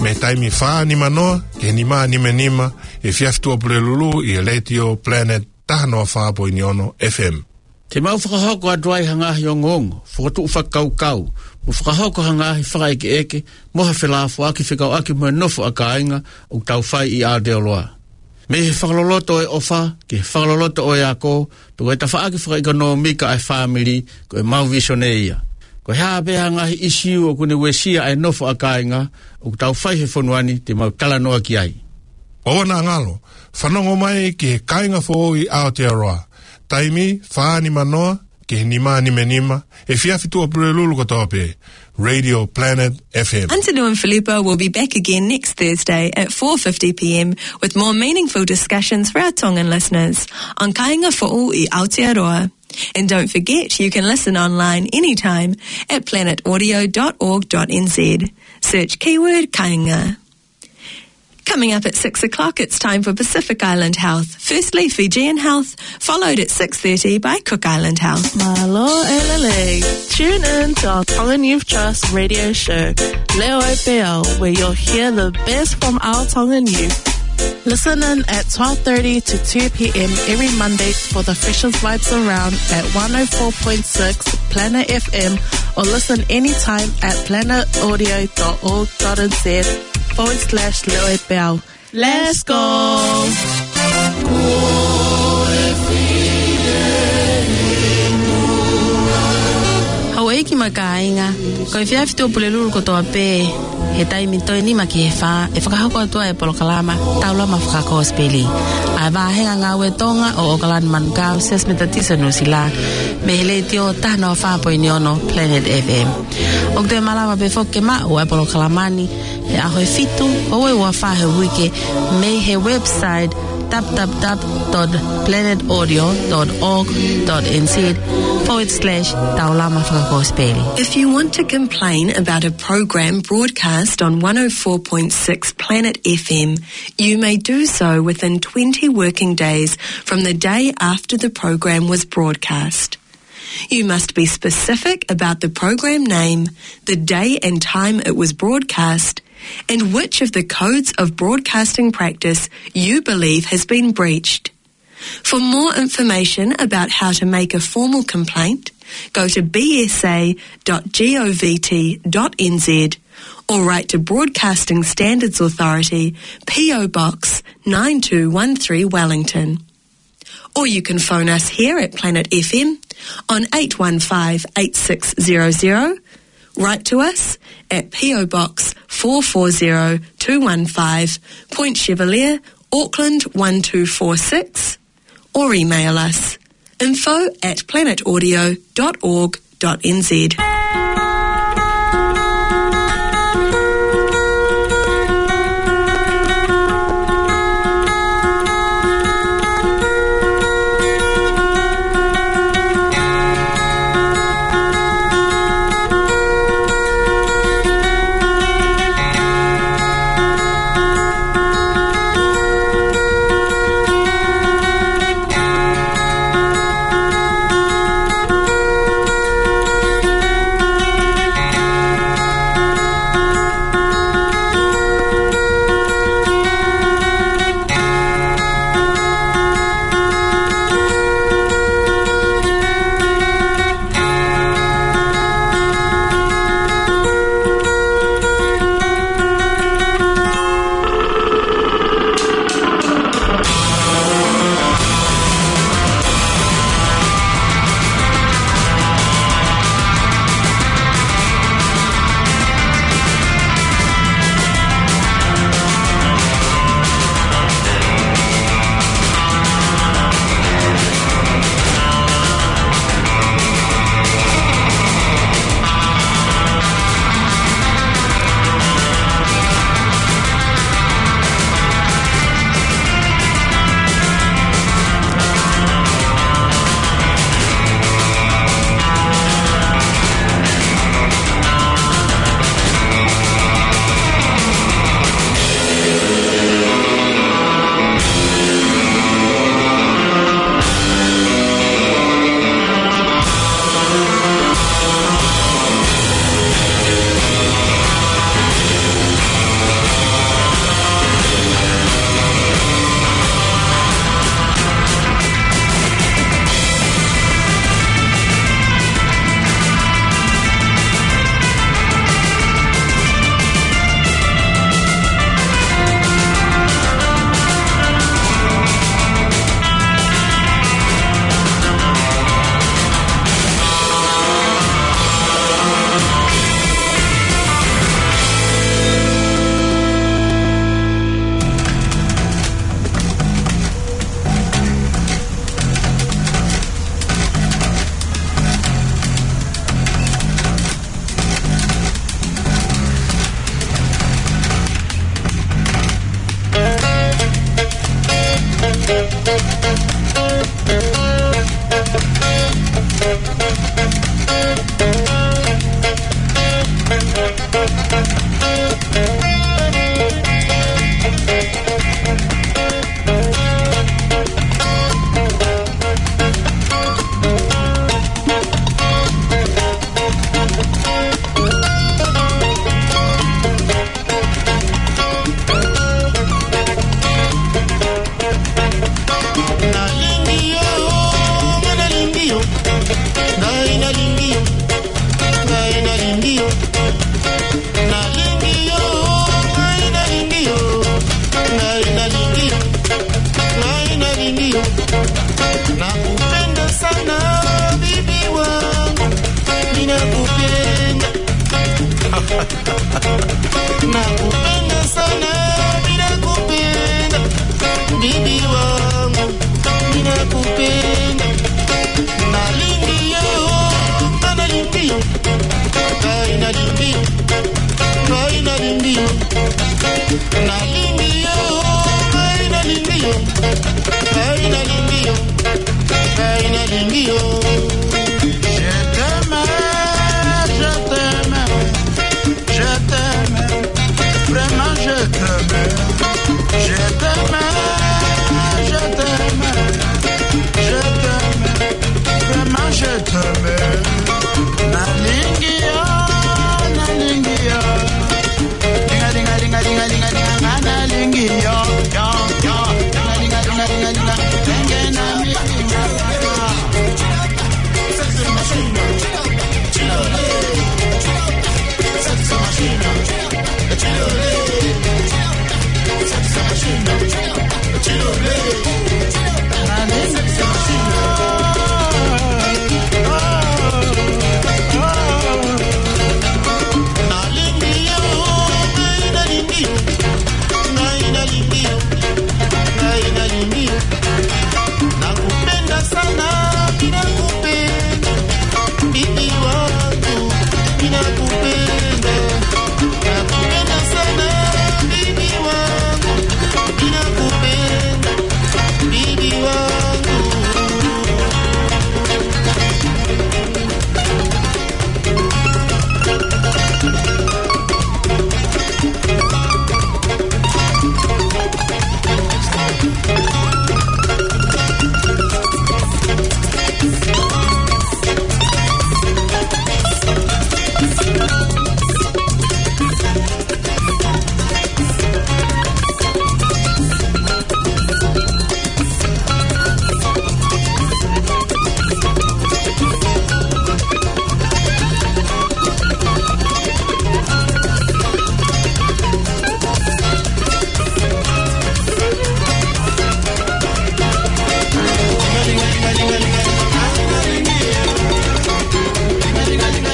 mei he taimi fā nima noa ki he nima nima nima, he efiafi Tuʻapulelulu ʻi he Letiō Planet taha noa fā poini ono F M. Te mau fakahoko atu ai ha ngaahi ongoongo, fokotuʻu fakakaukau, mo fakahoko ha ngaahi fakaʻekeʻeke, mo ha felāfoaki fekauʻaki mo e nofo ʻa kāinga ʻoku tau fai ʻi Aotearoa. Mei he fakaloloto ʻo e ʻofa, ki he fakaloloto ʻo e ako, pea ko e tafaʻaki fakaʻekonōmika ʻa e fāmili, ko e mau visone ia. Ko e hā pē ha ngaahi ʻisiū ʻoku ne uesia ʻa e nofo ʻa kāinga ʻoku tau fai he fonua ni, te mau talanoa ki ai. ʻOua naʻa ngalo, fanongo mai ki he Kāinga Foʻou ʻi Aotearoa, taimi fā nima noa ki he nima nima nima, he efiafi Tuʻapulelulu kotoa pē, Radio Planet F M. Hunter New and Filippo will be back again next Thursday at four fifty p.m. with more meaningful discussions for our Tongan listeners on Kāinga Foʻou ʻi Aotearoa. And don't forget, you can listen online anytime at planet audio dot org dot N Z. Search keyword Kāinga. Coming up at six o'clock, it's time for Pacific Island Health. Firstly, Fijian Health, followed at six thirty by Cook Island Health. Mālō e lelei. Tune in to our Tongan Youth Trust radio show, Leo e Peau, where you'll hear the best from our Tongan youth. Listen in at twelve thirty to two p.m. every Monday for the freshest vibes around at one oh four point six Planet F M, or listen anytime at planet audio dot org dot N Z forward slash Leo e Peau. Let's go! Houʻeiki mo e kāinga, ko e efiafi Tuʻapulelulu kotoa pē, he taimi toe nima ki he fā, ʻe fakahoko atu ai e polokalama Taulama Fakakosipeli, ʻa e vāhenga ngāue Tonga ʻo ʻAokalani Manukau Siasi Metotisi Nuʻusila, mei he Letiō taha noa fā poini ono Planet F M. ʻOku toe malava pē foki ke maʻu ʻa e polokalama ni he ʻaho ʻe fitu ʻo e ua fā he uike, mei he website w w w dot planet audio dot org dot N Z forward slash Taulama Fakakosipeli. If you want to complain about a program broadcast on one oh four point six Planet F M, you may do so within twenty working days from the day after the program was broadcast. You must be specific about the program name, the day and time it was broadcast, and which of the codes of broadcasting practice you believe has been breached. For more information about how to make a formal complaint, go to B S A dot govt dot N Z or write to Broadcasting Standards Authority, P O Box nine two one three, Wellington. Or you can phone us here at Planet F M on eight one five eight six zero zero. Write to us at P O Box four four zero two one five, Point Chevalier, Auckland one two four six, or email us info at planet audio dot org dot N Z.